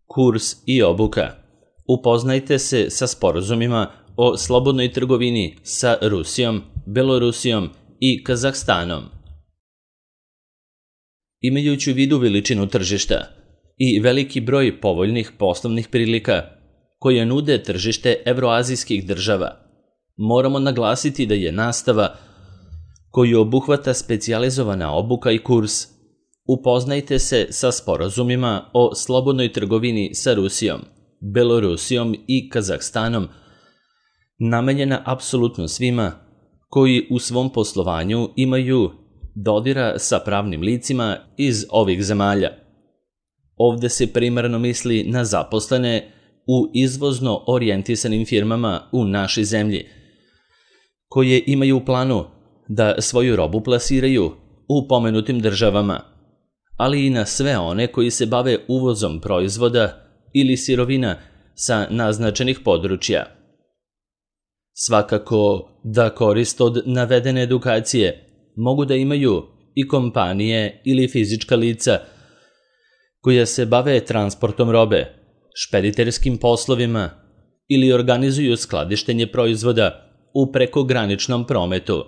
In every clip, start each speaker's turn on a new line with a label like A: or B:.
A: Kurs i obuka. Upoznajte se sa sporazumima o slobodnoj trgovini sa Rusijom, Belorusijom i Kazahstanom. Imajući u vidu veličinu tržišta i veliki broj povoljnih poslovnih prilika koje nude tržište evroazijskih država, moramo naglasiti da je nastava koju obuhvata specijalizovana obuka i kurs Upoznajte se sa sporazumima o slobodnoj trgovini sa Rusijom, Belorusijom i Kazahstanom, namenjena apsolutno svima koji u svom poslovanju imaju dodira sa pravnim licima iz ovih zemalja. Ovde se primarno misli na zaposlene u izvozno orijentisanim firmama u našoj zemlji, koje imaju u planu da svoju robu plasiraju u pomenutim državama, ali i na sve one koji se bave uvozom proizvoda ili sirovina sa naznačenih područja. Svakako da korist od navedene edukacije mogu da imaju i kompanije ili fizička lica koja se bave transportom robe, špediterskim poslovima ili organizuju skladištenje proizvoda u prekograničnom prometu.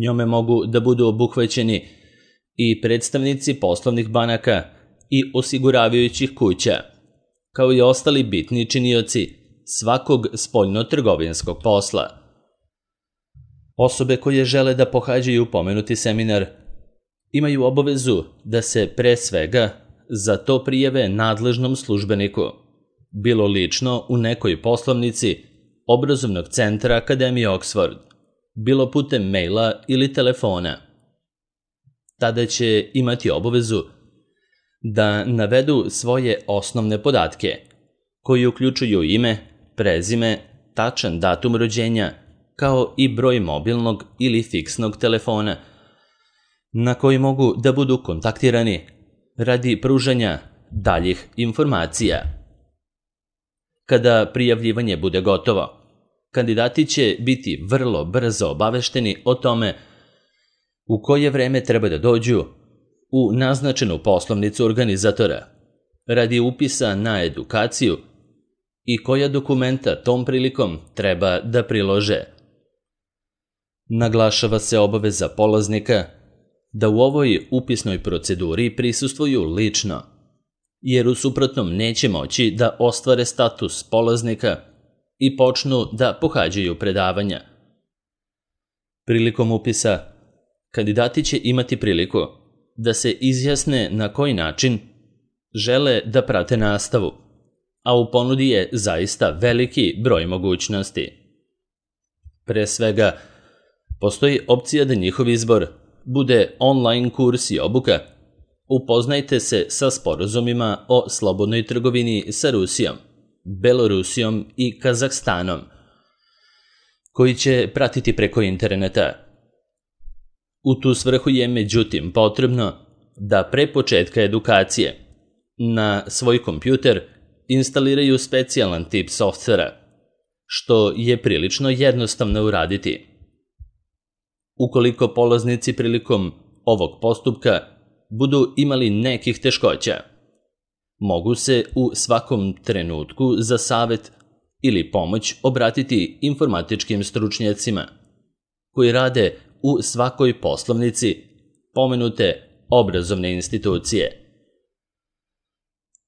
A: Njome mogu da budu obuhvaćeni i predstavnici poslovnih banaka i osiguravajućih kuća, kao i ostali bitni činioci svakog spoljno-trgovinskog posla. Osobe koje žele da pohađaju pomenuti seminar imaju obavezu da se pre svega za to prijave nadležnom službeniku, bilo lično u nekoj poslovnici obrazovnog centra Akademije Oxford, bilo putem maila ili telefona. Tada će imati obavezu da navedu svoje osnovne podatke, koji uključuju ime, prezime, tačan datum rođenja, kao i broj mobilnog ili fiksnog telefona, na koji mogu da budu kontaktirani radi pružanja daljih informacija. Kada prijavljivanje bude gotovo, kandidati će biti vrlo brzo obavešteni o tome u koje vreme treba da dođu u naznačenu poslovnicu organizatora radi upisa na edukaciju i koja dokumenta tom prilikom treba da prilože. Naglašava se obaveza polaznika da u ovoj upisnoj proceduri prisustvuju lično, jer u suprotnom neće moći da ostvare status polaznika i počnu da pohađaju predavanja. Prilikom upisa, kandidati će imati priliku da se izjasne na koji način žele da prate nastavu, a u ponudi je zaista veliki broj mogućnosti. Pre svega, postoji opcija da njihov izbor bude online kurs i obuka. Upoznajte se sa sporazumima o slobodnoj trgovini sa Rusijom, Belorusijom i Kazahstanom, koji će pratiti preko interneta. U tu svrhu je međutim potrebno da pre početka edukacije na svoj kompjuter instaliraju specijalan tip softvera, što je prilično jednostavno uraditi. Ukoliko polaznici prilikom ovog postupka budu imali nekih teškoća, mogu se u svakom trenutku za savet ili pomoć obratiti informatičkim stručnjacima koji rade u svakoj poslovnici pomenute obrazovne institucije.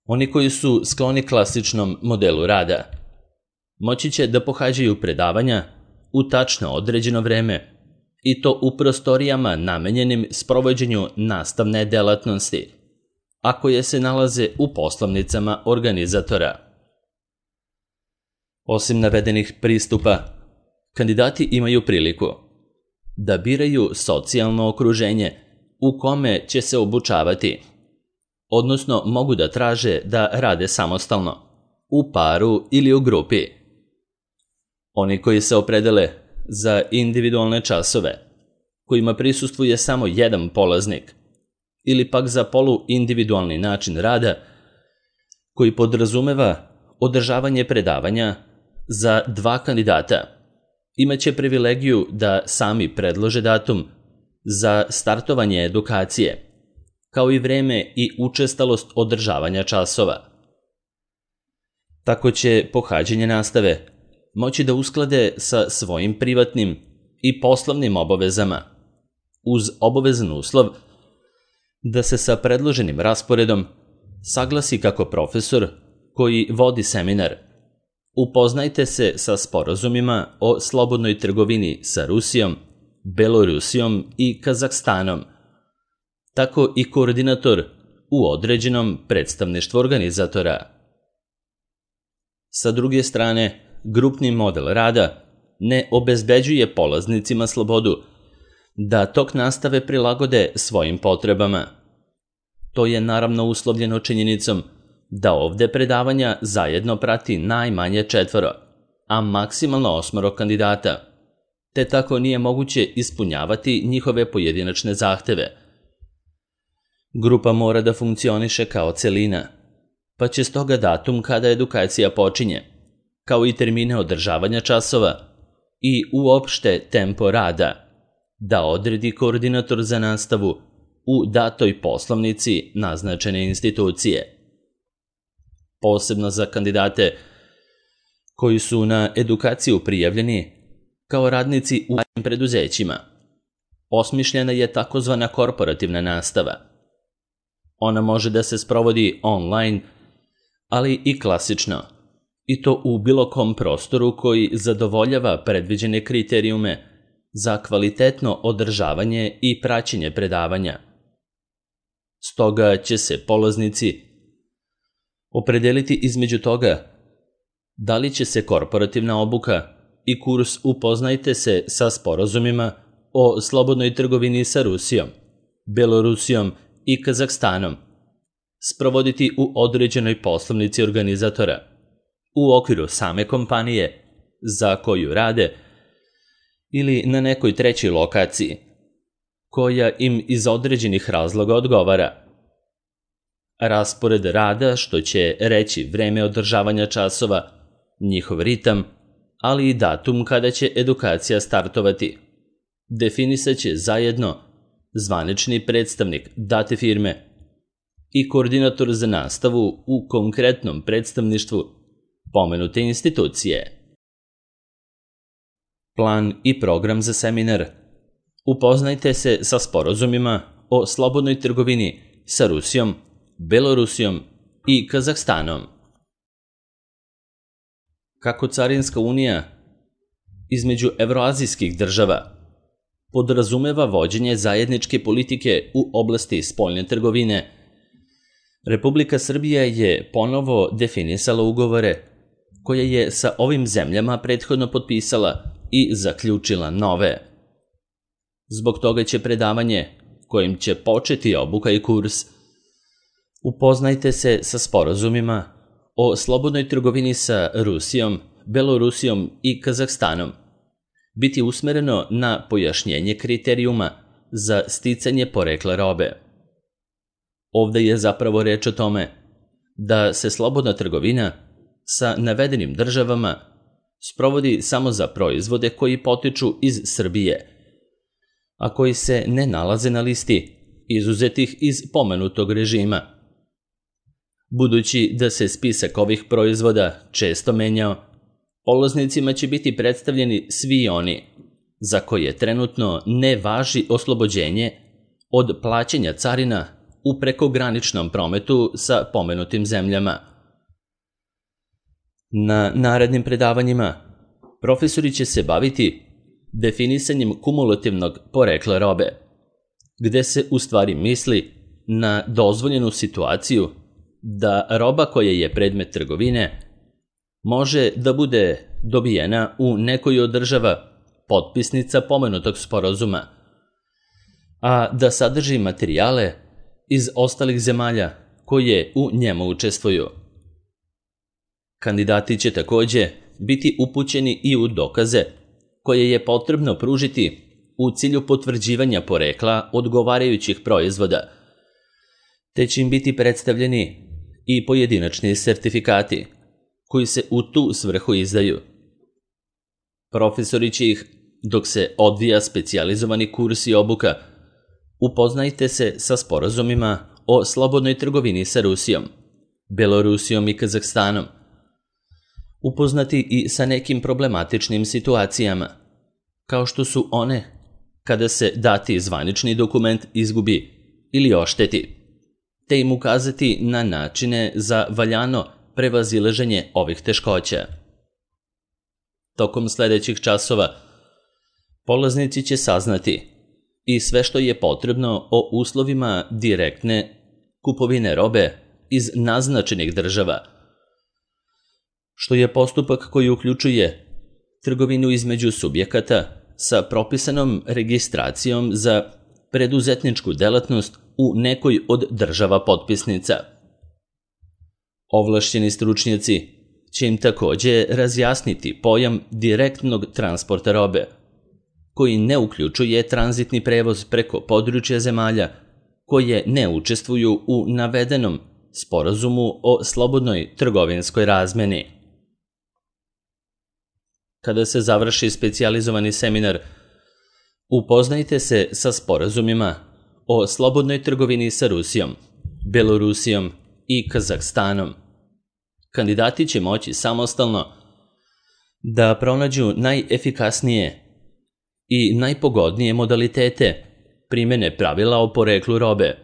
A: Oni koji su skloni klasičnom modelu rada moći će da pohađaju predavanja u tačno određeno vreme i to u prostorijama namenjenim sprovođenju nastavne delatnosti, a koje se nalaze u poslovnicama organizatora. Osim navedenih pristupa, kandidati imaju priliku da biraju socijalno okruženje u kome će se obučavati, odnosno mogu da traže da rade samostalno, u paru ili u grupi. Oni koji se opredele za individualne časove, kojima prisustvuje samo jedan polaznik, ili pak za poluindividualni način rada, koji podrazumeva održavanje predavanja za 2 kandidata, imaće privilegiju da sami predlože datum za startovanje edukacije, kao i vreme i učestalost održavanja časova. Tako će pohađanje nastave moći da usklade sa svojim privatnim i poslovnim obavezama, uz obavezan uslov da se sa predloženim rasporedom saglasi kako profesor koji vodi seminar. Upoznajte se sa sporazumima o slobodnoj trgovini sa Rusijom, Belorusijom i Kazahstanom, tako i koordinator u određenom predstavništvu organizatora. Sa druge strane, grupni model rada ne obezbeđuje polaznicima slobodu da tok nastave prilagode svojim potrebama. To je naravno uslovljeno činjenicom da ovde predavanja zajedno prati najmanje 4, a maksimalno 8 kandidata, te tako nije moguće ispunjavati njihove pojedinačne zahteve. Grupa mora da funkcioniše kao celina, pa će stoga datum kada edukacija počinje, kao i termine održavanja časova i uopšte tempo rada, da odredi koordinator za nastavu u datoj poslovnici naznačene institucije. Posebno za kandidate koji su na edukaciju prijavljeni kao radnici u javnim preduzećima, osmišljena je takozvana korporativna nastava. Ona može da se sprovodi online, ali i klasično, i to u bilo kom prostoru koji zadovoljava predviđene kriterijume za kvalitetno održavanje i praćenje predavanja. Stoga će se polaznici opredeliti između toga da li će se korporativna obuka i kurs Upoznajte se sa sporazumima o slobodnoj trgovini sa Rusijom, Belorusijom i Kazahstanom sprovoditi u određenoj poslovnici organizatora, u okviru same kompanije za koju rade ili na nekoj trećoj lokaciji, koja im iz određenih razloga odgovara. Raspored rada, što će reći vreme održavanja časova, njihov ritam, ali i datum kada će edukacija startovati, definisat će zajedno zvanični predstavnik date firme i koordinator za nastavu u konkretnom predstavništvu pomenute institucije. Plan i program za seminar. Upoznajte se sa sporazumima o slobodnoj trgovini sa Rusijom, Belorusijom i Kazahstanom. Kako Carinska unija između evroazijskih država podrazumeva vođenje zajedničke politike u oblasti spoljne trgovine, Republika Srbija je ponovo definisala ugovore koje je sa ovim zemljama prethodno potpisala i zaključila nove. Zbog toga će predavanje, kojim će početi obuka i kurs, Upoznajte se sa sporazumima o slobodnoj trgovini sa Rusijom, Belorusijom i Kazahstanom, biti usmereno na pojašnjenje kriterijuma za sticanje porekla robe. Ovde je zapravo reč o tome da se slobodna trgovina sa navedenim državama sprovodi samo za proizvode koji potiču iz Srbije, a koji se ne nalaze na listi izuzetih iz pomenutog režima. Budući da se spisak ovih proizvoda često menjao, polaznicima će biti predstavljeni svi oni za koje trenutno ne važi oslobođenje od plaćanja carina u prekograničnom prometu sa pomenutim zemljama. Na narednim predavanjima profesori će se baviti definisanjem kumulativnog porekla robe, gde se u stvari misli na dozvoljenu situaciju da roba koja je predmet trgovine može da bude dobijena u nekoj od država potpisnica pomenutog sporazuma, a da sadrži materijale iz ostalih zemalja koje u njemu učestvuju. Kandidati će takođe biti upućeni i u dokaze koje je potrebno pružiti u cilju potvrđivanja porekla odgovarajućih proizvoda, te će im biti predstavljeni i pojedinačni sertifikati koji se u tu svrhu izdaju. Profesori će ih, dok se odvija specijalizovani kurs i obuka, Upoznajte se sa sporazumima o slobodnoj trgovini sa Rusijom, Belorusijom i Kazahstanom. Upoznati i sa nekim problematičnim situacijama, kao što su one kada se dati zvanični dokument izgubi ili ošteti, te im ukazati na načine za valjano prevazilaženje ovih teškoća. Tokom sledećih časova polaznici će saznati i sve što je potrebno o uslovima direktne kupovine robe iz naznačenih država, što je postupak koji uključuje trgovinu između subjekata sa propisanom registracijom za preduzetničku delatnost u nekoj od država potpisnica. Ovlašćeni stručnjaci će im takođe razjasniti pojam direktnog transporta robe, koji ne uključuje tranzitni prevoz preko područja zemalja koje ne učestvuju u navedenom sporazumu o slobodnoj trgovinskoj razmeni. Kada se završi specijalizovani seminar, upoznajte se sa sporazumima o slobodnoj trgovini sa Rusijom, Belorusijom i Kazahstanom. Kandidati će moći samostalno da pronađu najefikasnije i najpogodnije modalitete primene pravila o poreklu robe.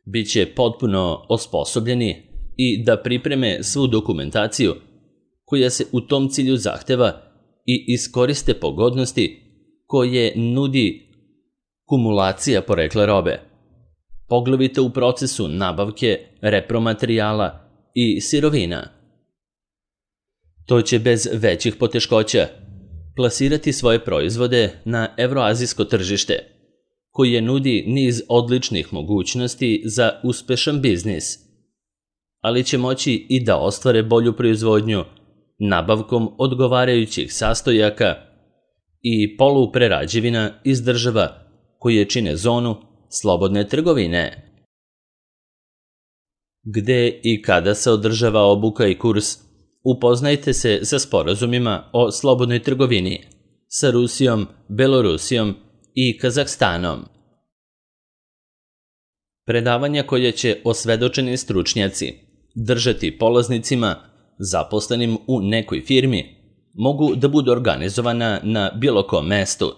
A: Biće potpuno osposobljeni i da pripreme svu dokumentaciju koja se u tom cilju zahteva i iskoriste pogodnosti koje nudi kumulacija porekla robe, poglavito u procesu nabavke repromaterijala i sirovina. To će bez većih poteškoća plasirati svoje proizvode na evroazijsko tržište, koje nudi niz odličnih mogućnosti za uspešan biznis, ali će moći i da ostvare bolju proizvodnju nabavkom odgovarajućih sastojaka i poluprerađevina iz država koje čine zonu slobodne trgovine. Gde i kada se održava obuka i kurs, upoznajte se sa sporazumima o slobodnoj trgovini sa Rusijom, Belorusijom i Kazahstanom. Predavanja koje će osvedočeni stručnjaci držati polaznicima zaposlenim u nekoj firmi mogu da budu organizovana na bilo kom mestu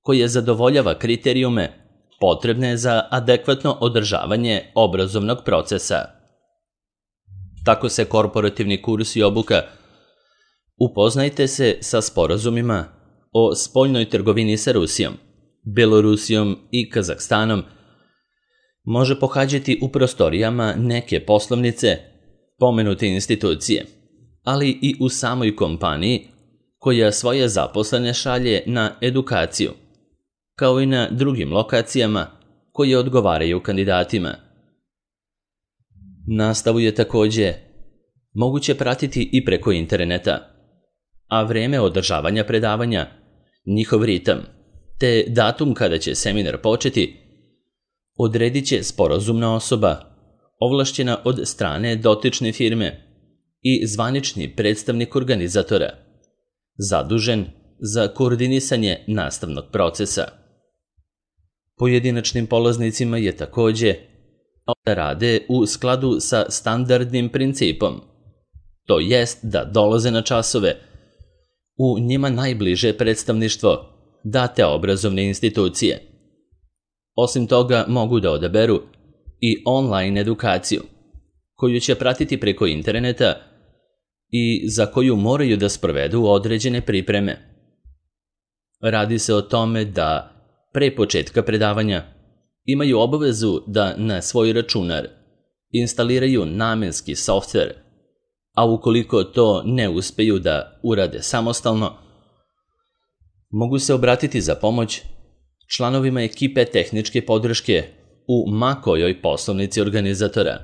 A: koje zadovoljava kriterijume potrebne za adekvatno održavanje obrazovnog procesa. Tako se korporativni kurs i obuka upoznajte se sa sporazumima o spoljnoj trgovini sa Rusijom, Belorusijom i Kazahstanom može pohađati u prostorijama neke poslovnice pomenute institucije, ali i u samoj kompaniji koja svoje zaposlene šalje na edukaciju, kao i na drugim lokacijama koje odgovaraju kandidatima. Nastavu je takođe moguće pratiti i preko interneta, a vreme održavanja predavanja, njihov ritam, te datum kada će seminar početi, odredit će sporazumna osoba, ovlašćena od strane dotične firme i zvanični predstavnik organizatora, zadužen za koordinisanje nastavnog procesa. Pojedinačnim polaznicima je takođe da rade u skladu sa standardnim principom, to jest da dolaze na časove u njima najbliže predstavništvo date obrazovne institucije. Osim toga mogu da odaberu i online edukaciju, koju će pratiti preko interneta i za koju moraju da sprovedu određene pripreme. Radi se o tome da pre početka predavanja imaju obavezu da na svoj računar instaliraju namenski softver, a ukoliko to ne uspeju da urade samostalno, mogu se obratiti za pomoć članovima ekipe tehničke podrške u ma kojoj poslovnici organizatora.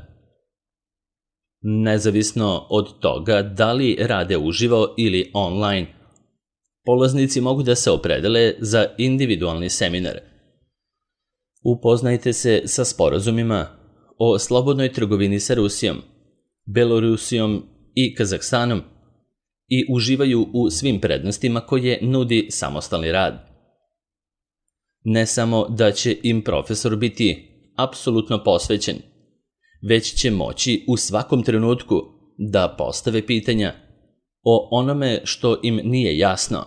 A: Nezavisno od toga da li rade uživo ili online, polaznici mogu da se opredele za individualni seminar. Upoznajte se sa sporazumima o slobodnoj trgovini sa Rusijom, Belorusijom i Kazahstanom i uživaju u svim prednostima koje nudi samostalni rad. Ne samo da će im profesor biti apsolutno posvećen, već će moći u svakom trenutku da postave pitanja o onome što im nije jasno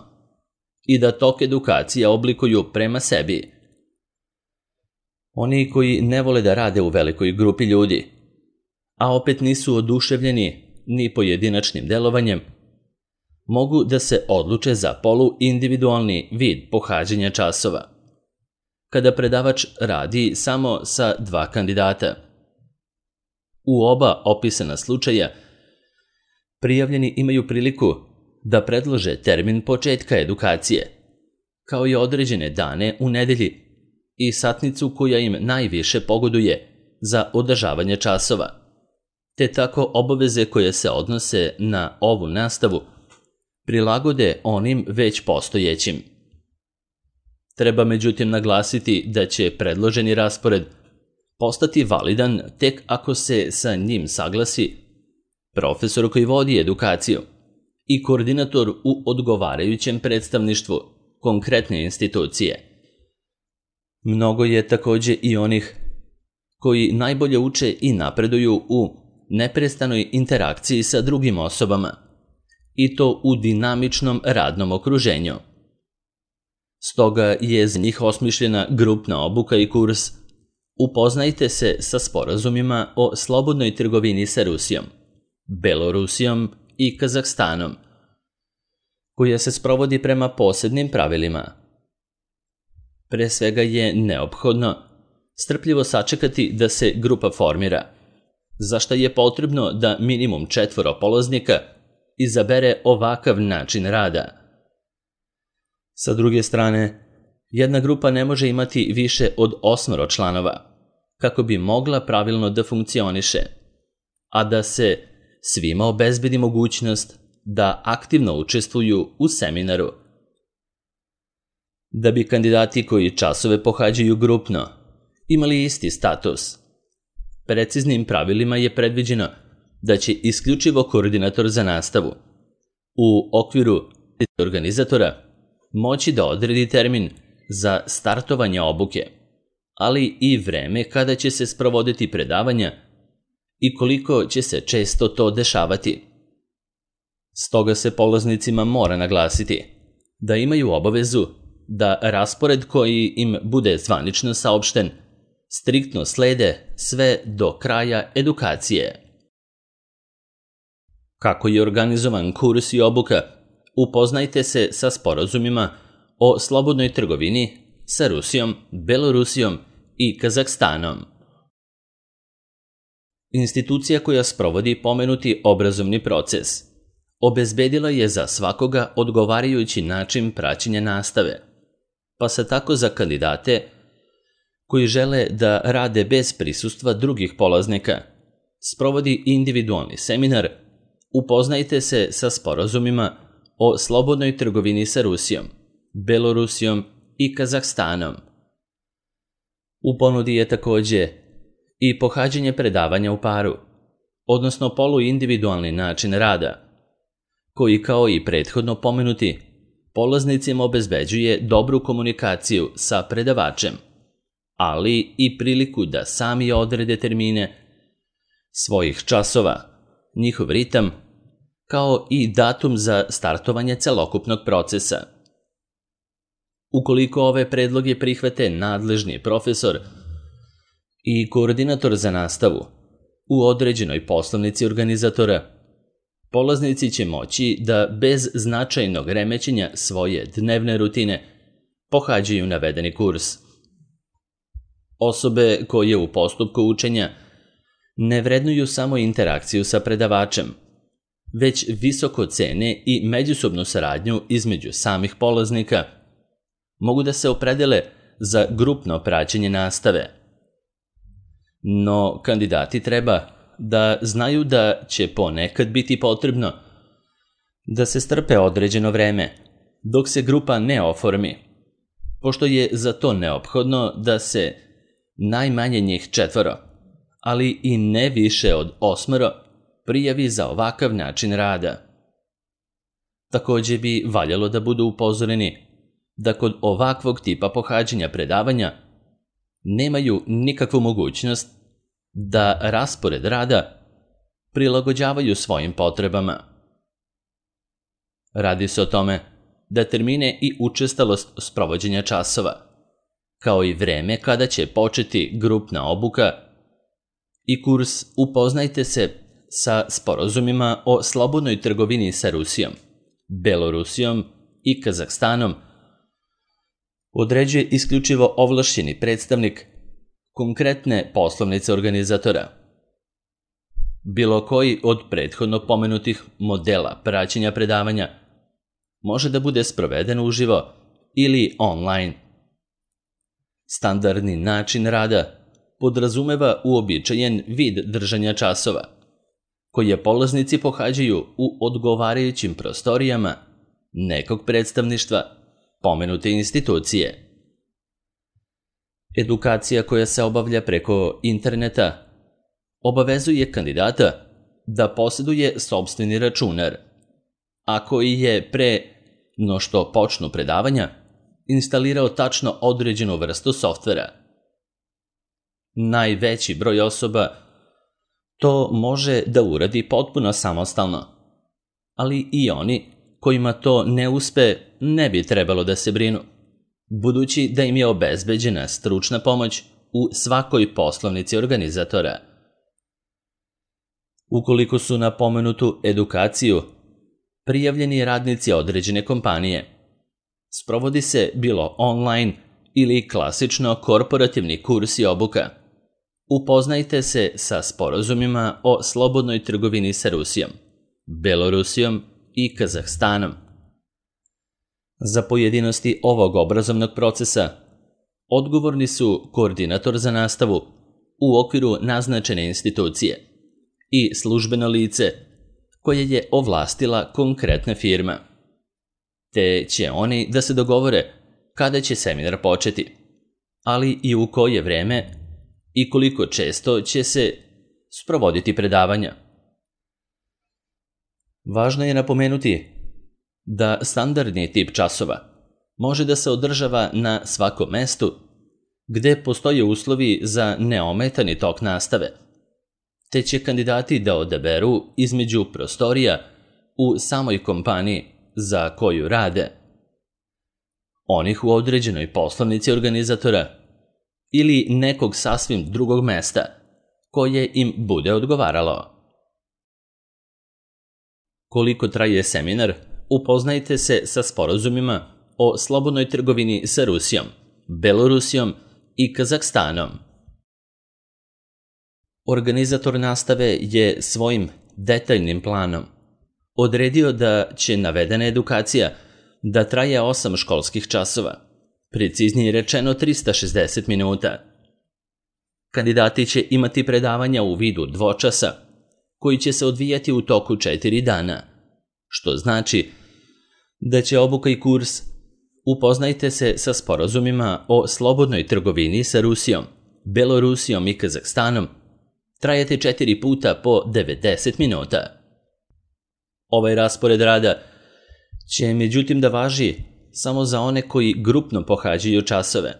A: i da tok edukacija oblikuju prema sebi. Oni koji ne vole da rade u velikoj grupi ljudi, a opet nisu oduševljeni ni pojedinačnim delovanjem, mogu da se odluče za poluindividualni vid pohađanja časova, kada predavač radi samo sa 2 kandidata. U oba opisana slučaja prijavljeni imaju priliku da predlože termin početka edukacije, kao i određene dane u nedelji i satnicu koja im najviše pogoduje za održavanje časova, te tako obaveze koje se odnose na ovu nastavu prilagode onim već postojećim. Treba međutim naglasiti da će predloženi raspored postati validan tek ako se sa njim saglasi profesor koji vodi edukaciju i koordinator u odgovarajućem predstavništvu konkretne institucije. Mnogo je takođe i onih koji najbolje uče i napreduju u neprestanoj interakciji sa drugim osobama, i to u dinamičnom radnom okruženju. Stoga je za njih osmišljena grupna obuka i kurs Upoznajte se sa sporazumima o slobodnoj trgovini sa Rusijom, Belorusijom i Kazahstanom, koja se sprovodi prema posebnim pravilima. Pre svega je neophodno strpljivo sačekati da se grupa formira, za šta je potrebno da minimum 4 polaznika izabere ovakav način rada. Sa druge strane, jedna grupa ne može imati više od 8 članova, kako bi mogla pravilno da funkcioniše, a da se svima obezbedi mogućnost da aktivno učestvuju u seminaru. Da bi kandidati koji časove pohađaju grupno imali isti status, preciznim pravilima je predviđeno da će isključivo koordinator za nastavu u okviru organizatora moći da odredi termin za startovanje obuke, ali i vreme kada će se sprovoditi predavanja i koliko će se često to dešavati. Stoga se polaznicima mora naglasiti da imaju obavezu da raspored koji im bude zvanično saopšten striktno slede sve do kraja edukacije. Kako je organizovan kurs i obuka, upoznajte se sa sporazumima o slobodnoj trgovini sa Rusijom, Belorusijom i Kazahstanom. Institucija koja sprovodi pomenuti obrazovni proces obezbedila je za svakoga odgovarajući način praćenja nastave, pa se tako za kandidate koji žele da rade bez prisustva drugih polaznika sprovodi individualni seminar Upoznajte se sa sporazumima o slobodnoj trgovini sa Rusijom, Belorusijom i Kazahstanom. U ponudi je takođe i pohađanje predavanja u paru, odnosno poluindividualni način rada, koji kao i prethodno pomenuti, polaznicima obezbeđuje dobru komunikaciju sa predavačem, ali i priliku da sami odrede termine svojih časova, njihov ritam, kao i datum za startovanje celokupnog procesa. Ukoliko ove predloge prihvate nadležni profesor i koordinator za nastavu u određenoj poslovnici organizatora, polaznici će moći da bez značajnog remećenja svoje dnevne rutine pohađaju navedeni kurs. Osobe koje u postupku učenja ne vrednuju samo interakciju sa predavačem, već visoko cene i međusobnu saradnju između samih polaznika, mogu da se opredele za grupno praćenje nastave. No, kandidati treba da znaju da će ponekad biti potrebno da se strpe određeno vreme, dok se grupa ne oformi, pošto je za to neophodno da se najmanje njih 4, ali i ne više od 8 prijavi za ovakav način rada. Takođe bi valjalo da budu upozoreni da kod ovakvog tipa pohađanja predavanja nemaju nikakvu mogućnost da raspored rada prilagođavaju svojim potrebama. Radi se o tome da termine i učestalost sprovođenja časova, kao i vreme kada će početi grupna obuka i kurs Upoznajte se sa sporazumima o slobodnoj trgovini sa Rusijom, Belorusijom i Kazahstanom određuje isključivo ovlašćeni predstavnik konkretne poslovnice organizatora. Bilo koji od prethodno pomenutih modela praćenja predavanja može da bude sproveden uživo ili online. Standardni način rada podrazumeva uobičajen vid držanja časova, koje polaznici pohađaju u odgovarajućim prostorijama nekog predstavništva pomenute institucije. Edukacija koja se obavlja preko interneta obavezuje kandidata da posjeduje sopstveni računar, a koji je pre no što počnu predavanja instalirao tačno određenu vrstu softvera. Najveći broj osoba to može da uradi potpuno samostalno, ali i oni kojima to ne uspe ne bi trebalo da se brinu, budući da im je obezbeđena stručna pomoć u svakoj poslovnici organizatora. Ukoliko su na pomenutu edukaciju prijavljeni radnici određene kompanije, sprovodi se bilo online ili klasično korporativni kurs i obuka. Upoznajte se sa sporazumima o slobodnoj trgovini sa Rusijom, Belorusijom i Kazahstanom. Za pojedinosti ovog obrazovnog procesa odgovorni su koordinator za nastavu u okviru naznačene institucije i službeno lice koje je ovlastila konkretna firma, te će oni da se dogovore kada će seminar početi, ali i u koje vreme i koliko često će se sprovoditi predavanja. Važno je napomenuti da standardni tip časova može da se održava na svakom mestu gde postoje uslovi za neometani tok nastave, te će kandidati da odaberu između prostorija u samoj kompaniji za koju rade, onih u određenoj poslovnici organizatora ili nekog sasvim drugog mesta koje im bude odgovaralo. Koliko traje seminar, upoznajte se sa sporazumima o slobodnoj trgovini sa Rusijom, Belorusijom i Kazahstanom. Organizator nastave je svojim detaljnim planom odredio da će navedena edukacija da traje 8 školskih časova, preciznije rečeno 360 minuta. Kandidati će imati predavanja u vidu dvočasa, koji će se odvijati u toku 4 dana, što znači da će obuka i kurs Upoznajte se sa sporazumima o slobodnoj trgovini sa Rusijom, Belorusijom i Kazahstanom trajati 4 puta po 90 minuta. Ovaj raspored rada će međutim da važi samo za one koji grupno pohađaju časove,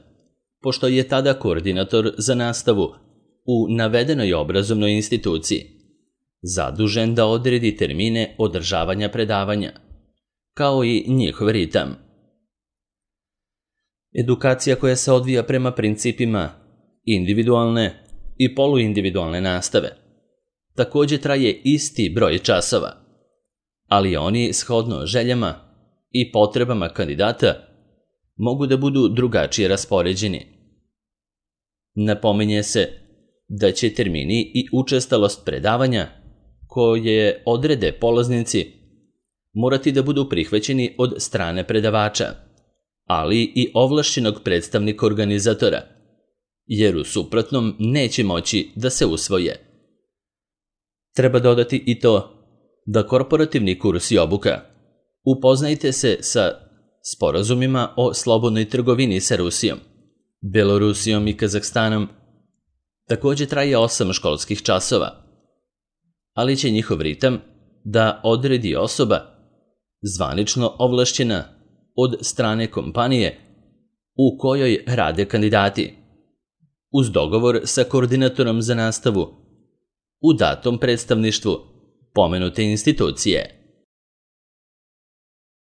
A: pošto je tada koordinator za nastavu u navedenoj obrazovnoj instituciji zadužen da odredi termine održavanja predavanja, kao i njihov ritam. Edukacija koja se odvija prema principima individualne i poluindividualne nastave takođe traje isti broj časova, ali oni shodno željama i potrebama kandidata mogu da budu drugačije raspoređeni. Napominje se da će termini i učestalost predavanja koje odrede polaznici morati da budu prihvaćeni od strane predavača, ali i ovlašćenog predstavnika organizatora, jer u suprotnom neće moći da se usvoje. Treba dodati i to da korporativni kurs i obuka Upoznajte se sa sporazumima o slobodnoj trgovini sa Rusijom, Belorusijom i Kazahstanom takođe traje 8 školskih časova, ali će njihov ritam da odredi osoba zvanično ovlašćena od strane kompanije u kojoj rade kandidati, uz dogovor sa koordinatorom za nastavu u datom predstavništvu pomenute institucije.